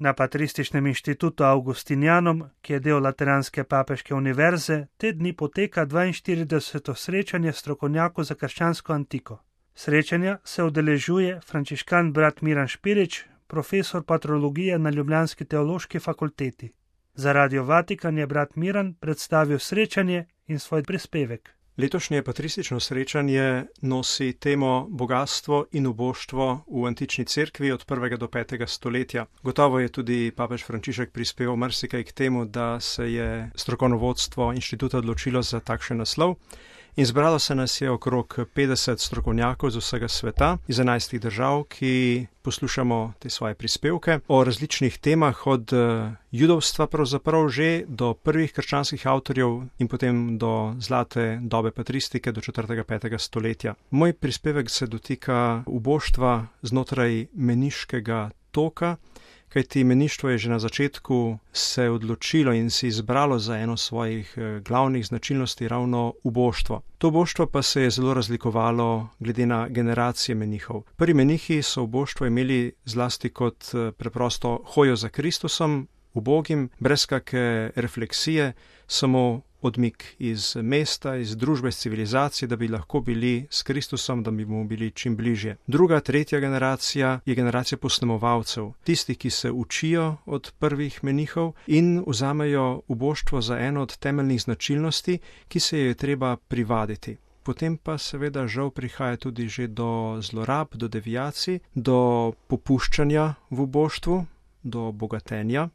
Na Patrističnem inštitutu Augustinianum, ki je del Lateranske papeške univerze, te dni poteka 42. srečanje strokovnjakov za krščansko antiko. Srečanja se udeležuje frančiškan brat Miran Špirič, profesor patrologije na ljubljanski teološki fakulteti. Za Radio Vatikan je brat Miran predstavil srečanje in svoj prispevek. Letošnje patristično srečanje nosi temo bogatstvo in uboštvo v antični cerkvi od 1. do 5. stoletja. Gotovo je tudi papež Frančišek prispeval marsikaj k temu, da se je strokovno vodstvo inštituta odločilo za takšen naslov. In zbralo se nas je okrog 50 strokovnjakov z vsega sveta, iz 11 držav, ki poslušamo te svoje prispevke o različnih temah, od judovstva pravzaprav že do prvih krščanskih avtorjev in potem do zlate dobe patristike do 4. 5. stoletja. Moj prispevek se dotika uboštva znotraj meniškega toka, kajti meništvo je že na začetku se odločilo in si izbralo za eno svojih glavnih značilnosti ravno uboštvo. To uboštvo pa se je zelo razlikovalo glede na generacije menihov. Prvi menihi so uboštvo imeli zlasti kot preprosto hojo za Kristusom, ubogim, brez kakšne refleksije, samo odmik iz mesta, iz družbe, iz civilizacije, da bi lahko bili s Kristusom, da bi mu bili čim bližje. Druga, tretja generacija je generacija posnemovalcev, tistih, ki se učijo od prvih menihov in vzamejo uboštvo za eno od temeljnih značilnosti, ki se je treba privaditi. Potem pa seveda žal prihaja tudi že do zlorab, do deviacij, do popuščanja v uboštvu, do bogatenja,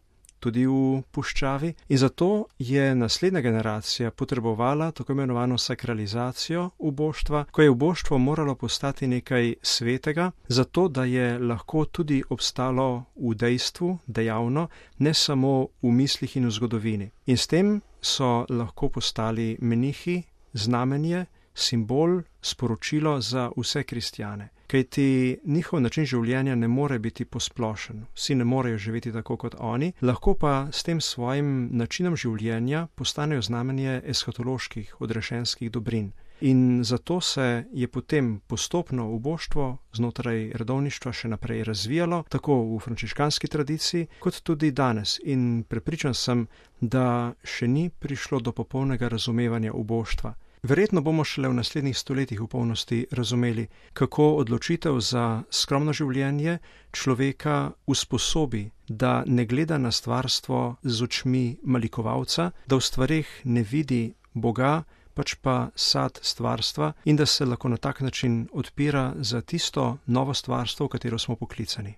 tudi v puščavi, in zato je naslednja generacija potrebovala tako imenovano sakralizacijo uboštva, ko je uboštvo moralo postati nekaj svetega, zato da je lahko tudi obstalo v dejstvu, dejavno, ne samo v mislih in v zgodovini. In s tem so lahko postali menihi znamenje, simbol, sporočilo za vse kristjane. Kajti njihov način življenja ne more biti posplošen, vsi ne morejo živeti tako kot oni, lahko pa s tem svojim načinom življenja postanejo znamenje eskatoloških, odrešenskih dobrin. In zato se je potem postopno uboštvo znotraj redovništva še naprej razvijalo, tako v frančiškanski tradiciji, kot tudi danes. In prepričan sem, da še ni prišlo do popolnega razumevanja uboštva. Verjetno bomo šele v naslednjih stoletjih v polnosti razumeli, kako odločitev za skromno življenje človeka usposobi, da ne gleda na stvarstvo z očmi malikovalca, da v stvareh ne vidi Boga, pač pa sad stvarstva, in da se lahko na tak način odpira za tisto novo stvarstvo, v katero smo poklicani.